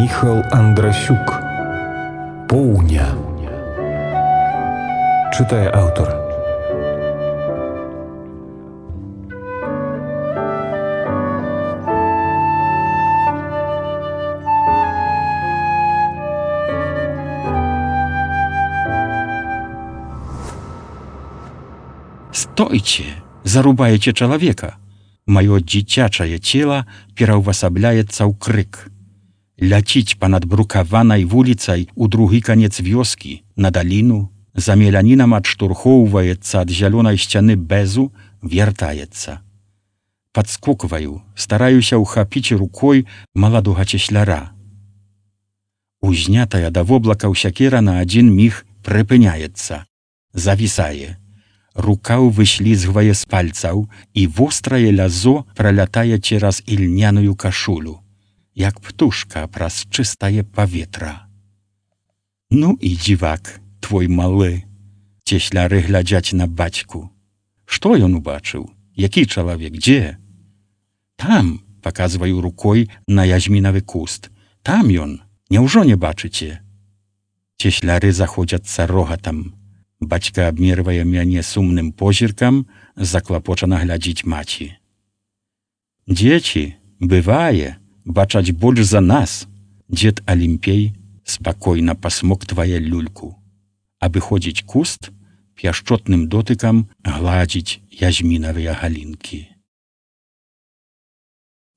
Міхал Андрасюк. Поўня. Чытае аўтар. Стойце, зарубаеце чалавека. Маё дзіцячае цела пераўвасабляецца ў крык. Ляціць панад брукаванай вуліцай у другі канец вёскі, на даліну, за мелянінам адштурхоўваецца ад зялёнай сцяны бэзу, вяртаецца. Падскокваю, стараюся ўхапіць рукой маладога цесляра. Узнятая да воблакаў сякера на адзін міг прыпыняецца, завісае. Рукаў выслізгвае з пальцаў, і вострае лязо пралятае цераз ільняную кашулю, як птушка праз чыстае паветра. Ну і дзівак, твой малы. Цесляры глядзяць на бацьку. Што ён убачыў? Які чалавек? Дзе? Там, паказваю рукой на язмінавы куст. Там ён. Няўжо не бачыце? Цесляры заходзяцца рогатам. Бацька абмервае мяне сумным позіркам, заклапочана глядзіць маці. Дзеці, бывае, бачаць больш за нас. Дзед Алімпей спакойна пасмоктвае люльку. Абыходзіць куст, пяшчотным дотыкам гладзіць язмінавыя галінкі.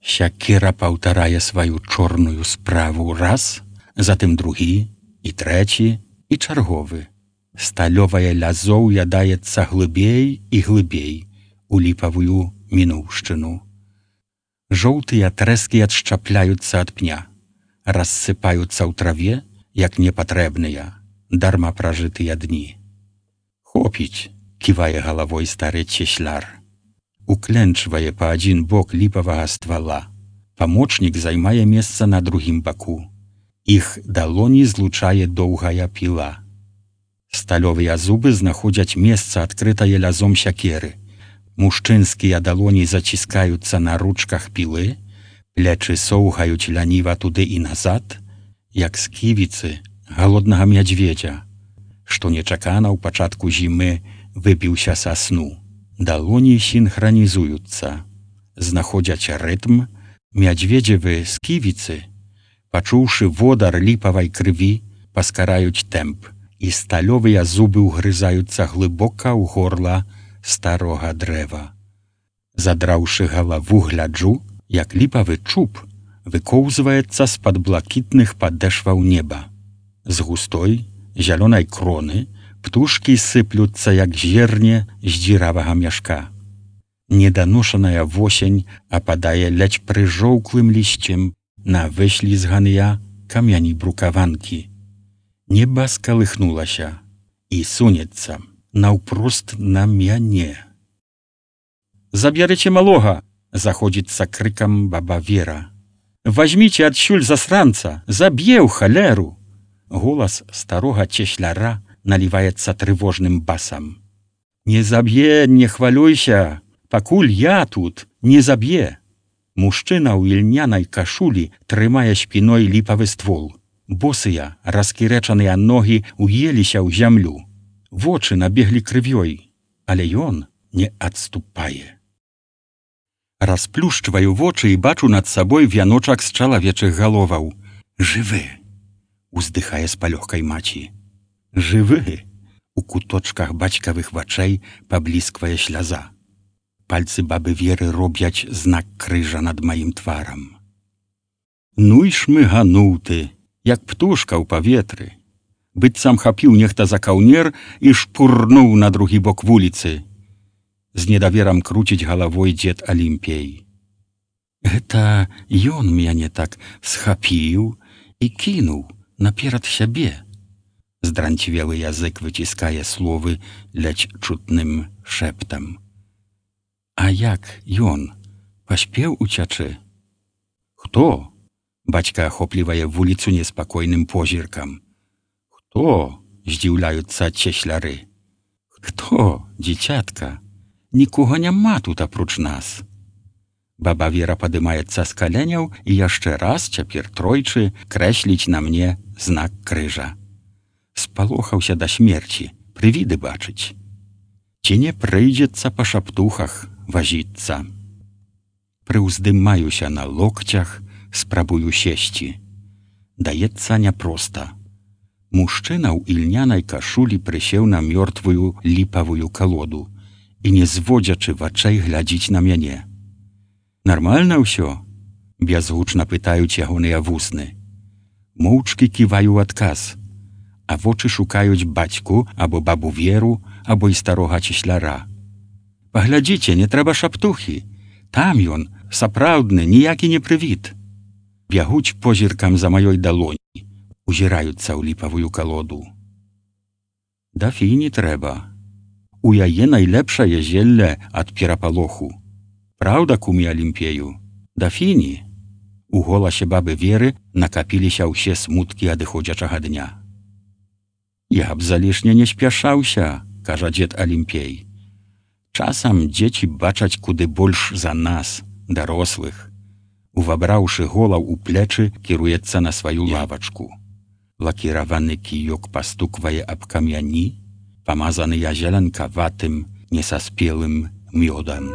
Сякера паўтарае сваю чорную справу раз, затым другі, і трэці, і чарговы. Сталёвае лязо ўядаецца глыбей і глыбей у ліпавую мінуўшчыну. Жоўтыя трэскі адшчапляюцца ад пня, рассыпаюцца ў траве, як непатрэбныя, дарма пражытыя дні. Хопіць, ківае галавой стары цесляр. Укленчвае па адзін бок ліпавага ствала. Памочнік займае месца на другім баку. Іх далоні злучае доўгая піла. Сталёвыя зубы знаходзяць месца, адкрытае лязом сякеры. Мужчынскія далоні заціскаюцца на ручках пілы, плечы соўгаюць ляніва туды і назад, як сківіцы галоднага мядзведзя, што нечакана ў пачатку зімы выбіўся са сну. Далоні сінхранізуюцца, знаходзяць рытм, мядзведзевы сківіцы, пачуўшы водар ліпавай крыві, паскараюць тэмп, і сталёвыя зубы ўгрызаюцца глыбока ў горла старога дрэва. Задраўшы галаву, гляджу, як ліпавы чуб выкоўзваецца з-пад блакітных падэшваў неба. З густой, зялёнай кроны птушкі сыплюцца, як зерне з дзіравага мяшка. Неданошаная восень ападае ледзь прыжоўклым лісцем на выслізганыя камяні брукаванкі. Неба скалыхнулася і сунецца наўпрост на мяне. «Забярыце малога!» — заходзіцца крыкам баба Вера. «Вазьміце адсюль засранца! Заб'е ў халеру!» Голас старога цесляра наліваецца трывожным басам. «Не заб'е, не хвалюйся! Пакуль я тут, не заб'е!» Мужчына ў ільнянай кашулі трымае спіной ліпавы ствол. Босыя, раскірэчаныя ногі уеліся ў зямлю. Вочы набеглі крывёй, але ён не адступае. Расплюшчваю вочы і бачу над сабой вяночак з чалавечых галоваў. «Жывы!» — уздыхае з палёгкай маці. «Жывы!» — у куточках бацькавых вачэй паблісквае сляза. Пальцы бабы Веры робяць знак крыжа над маім тварам. «Ну і шмыгануў ты, як птушка ў паветры. Быццам хапіў нехта за каўнер і шпурнуў на другі бок вуліцы». З недаверам круціць галавой дзед Алімпей. «Гэта ён мяне так схапіў і кінуў наперад сябе». Здранцвелы язык выціскае словы ледзь чутным шэптам. «А як ён? Паспеў уцячы?» «Хто?» Бацька ахоплівае вуліцу неспакойным позіркам. «Хто?» — здзіўляюцца цесляры. «Хто, дзіцятка? Нікога няма тут апроч нас». Баба Вера падымаецца з каленяў і яшчэ раз, цяпер тройчы, крэсліць на мне знак крыжа. Спалохаўся да смерці, прывіды бачыць. Ці не прыйдзецца па шаптухах вазіцца. Прыўздымаюся на локцях, спрабую сесці. Даецца няпроста. Мужчына ў ільнянай кашулі прысеў на мёртвую ліпавую калоду і, не зводзячы вачэй, глядзіць на мяне. «Нармальна ўсё?» – бязгучна пытаюць ягоныя вусны. Моўчкі ківаю ў адказ, а вочы шукаюць бацьку або бабу Веру, або і старога цісляра. «Паглядзіце, не трэба шаптухі. Там ён, сапраўдны, ніякі не прывід». Бягуць позіркам за маёй далоні, узіраюцца ў ліпавую калоду. «Дафі не трэба. У яе найлепшае зелле ад перапалоху. Праўда, куме Алімпею? Дафіні?» У голасе бабы Веры накапіліся ўсе смуткі адыходзячага дня. «Я б залішне не спяшаўся», – кажа дзед Алімпей. «Часам дзеці бачаць куды больш за нас, дарослых». Увабраўшы голаў у плечы, кіруецца на сваю лавачку. Лакіраваны кіёк пастуквае аб камяні, памазаныя зеленкаватым, несаспелым мёдам.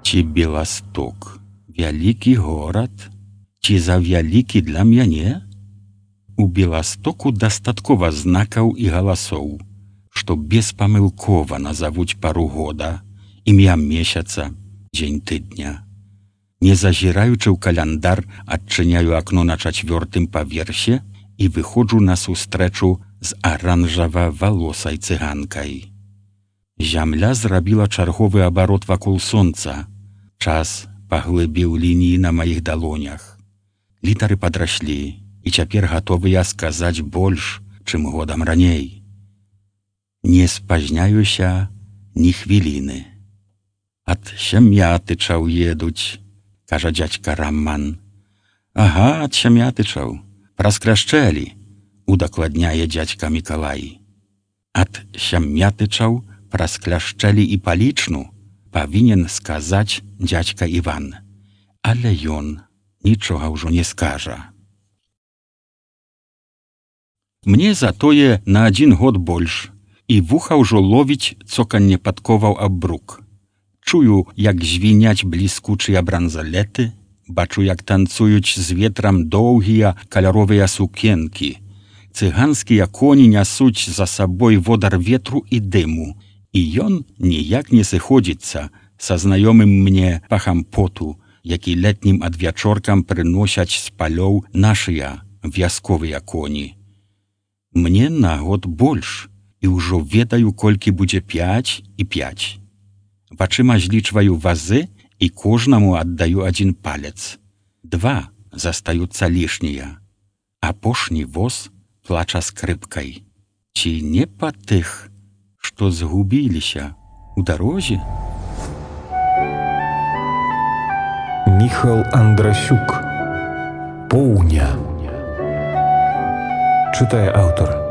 Ці Беласток вялікі горад? Ці завялікі для мяне? У Беластоку дастаткова знакаў і галасоў, што беспамылкова назавуць пару года, імя месяца, дзень тыдня. Не зазіраючы ў каляндар, адчыняю акно на 4-м паверсе і выходжу на сустрэчу з аранжава-валосай цыганкай. Зямля зрабіла чарговы абарот вакол сонца. Час паглыбіў лініі на маіх далонях. Літары падраслі і цяпер гатовыя сказаць больш, чым годам раней. Не спазняюся ні хвіліны. «Ад Сямятычаў едуць», – кажа дзядзька Раман. «Ага, ад Сямятычаў. Праз Кляшчэлі», – удакладняе дзядзька Мікалай. «Ад Сямятычаў праз Кляшчэлі і Палічну», павінен сказаць дзядзька Іван, але ён нічога ўжо не скажа. Мне затое на 1 год больш, і вуха ўжо ловіць цоканне падковаў аб брук. Чую, як звіняць бліскучыя бранзалеты, бачу, як танцуюць з ветрам доўгія каляровыя сукенкі. Цыганскія коні нясуць за сабой водар ветру і дыму, і ён ніяк не сыходзіцца са знаёмым мне пахам поту, які летнім адвячоркам прыносяць з палёў нашыя вясковыя коні. Мне на год больш, і ўжо ведаю, колькі будзе 5 і 5. Вачыма злічваю вазы і кожнаму аддаю 1 палец. 2 застаюцца лішнія. Апошні воз плача скрыпкай. Ці не па тых, што згубіліся ў дарозе? Міхал Андрасюк. Поўня. Чытае аўтар.